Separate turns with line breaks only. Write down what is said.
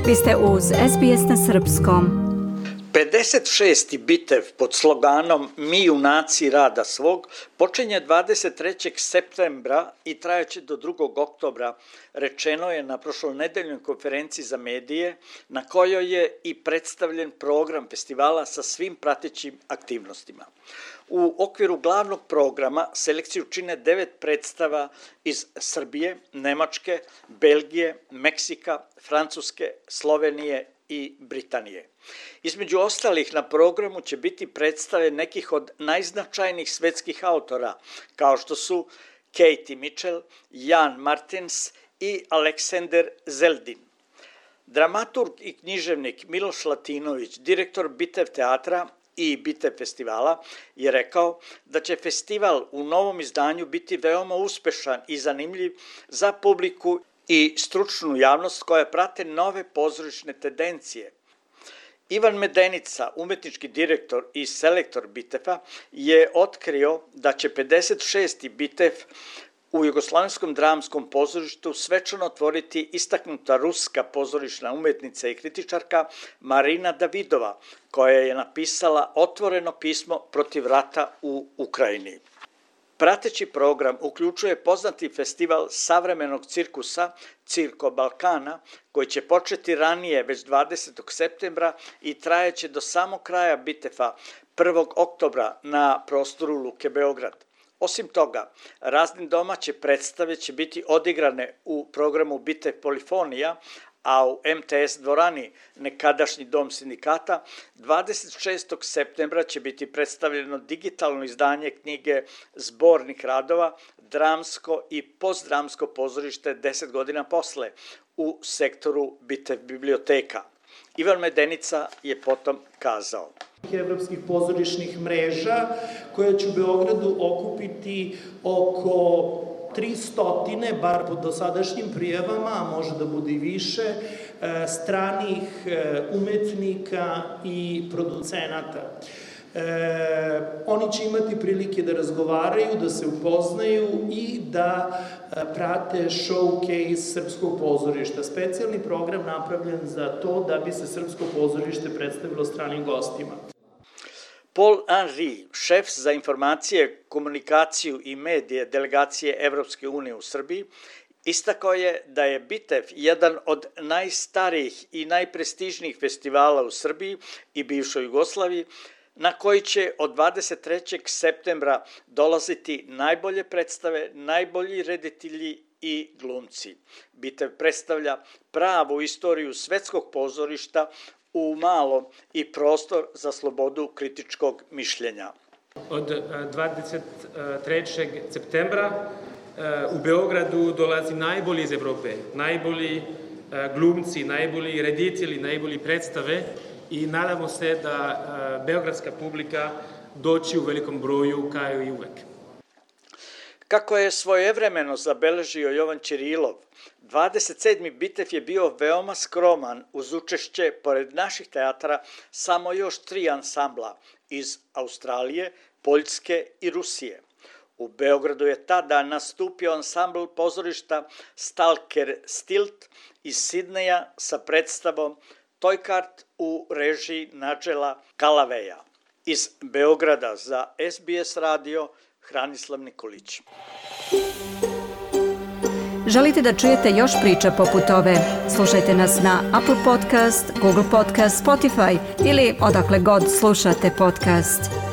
Vi ste uz SBS na srpskom.
56. bitev pod sloganom Mi junaci rada svog počinje 23. septembra i trajaće do 2. oktobra, rečeno je na prošlonedeljnoj konferenciji za medije, na kojoj je i predstavljen program festivala sa svim pratećim aktivnostima. U okviru glavnog programa selekciju čine 9 predstava iz Srbije, Nemačke, Belgije, Meksika, Francuske, Slovenije i Britanije. Između ostalih na programu će biti predstave nekih od najznačajnijih svetskih autora, kao što su Katie Mitchell, Jan Martens i Aleksandar Zeldin. Dramaturg i književnik Miloš Latinović, direktor Bitev teatra i Bitev festivala, je rekao da će festival u novom izdanju biti veoma uspešan i zanimljiv za publiku i stručnu javnost koja prate nove pozorišne tendencije. Ivan Medenica, umetnički direktor i selektor Bitefa, je otkrio da će 56. Bitev u Jugoslavenskom dramskom pozorištu svečano otvoriti istaknuta ruska pozorišna umetnica i kritičarka Marina Davidova, koja je napisala otvoreno pismo protiv rata u Ukrajini. Prateći program uključuje poznati festival savremenog cirkusa Cirko Balkana, koji će početi ranije, već 20. septembra i trajeće do samog kraja Bitefa 1. oktobra na prostoru Luke Beograd. Osim toga, razne domaće predstave će biti odigrane u programu Bitev Polifonija, a u MTS dvorani, nekadašnji dom sindikata, 26. septembra će biti predstavljeno digitalno izdanje knjige Zbornik radova, dramsko i postdramsko pozorište 10 godina posle u sektoru Bitev biblioteka. Ivan Medenica je potom kazao:
Evropskih pozorišnih mreža koja će u Beogradu okupiti oko 300, bar po dosadašnjim prijavama, a može da bude i više, stranih umetnika i producenata. Oni će imati prilike da razgovaraju, da se upoznaju i da prate showcase srpskog pozorišta. Specijalni program napravljen za to da bi se srpsko pozorište predstavilo stranim gostima.
Paul Henry, šef za informacije, komunikaciju i medije delegacije Evropske unije u Srbiji, istakao je da je Bitev jedan od najstarijih i najprestižnijih festivala u Srbiji i bivšoj Jugoslaviji, na koji će od 23. septembra dolaziti najbolje predstave, najbolji reditelji i glumci. Bitev predstavlja pravu istoriju svetskog pozorišta u malom i prostor za slobodu kritičkog mišljenja.
Od 23. septembra u Beogradu dolazi najbolji iz Evrope, najbolji glumci, najbolji reditelji, najbolji predstave i nadamo se da beogradska publika doći u velikom broju kao i uvek.
Kako je svojevremeno zabeležio Jovan Ćirilov, 27. Bitev je bio veoma skroman uz učešće, pored naših teatara, samo još 3 ansambla iz Australije, Poljske i Rusije. U Beogradu je tada nastupio ansambl pozorišta Stalker Stilt iz Sidneja sa predstavom Tojkart u režiji Nadžela Kalaveja. Iz Beograda za SBS radio Hranislav Nikolić.
Želite da čujete još priča poput ove? Slušajte nas na Apple Podcast, Google Podcast, Spotify ili odakle god slušate podcast.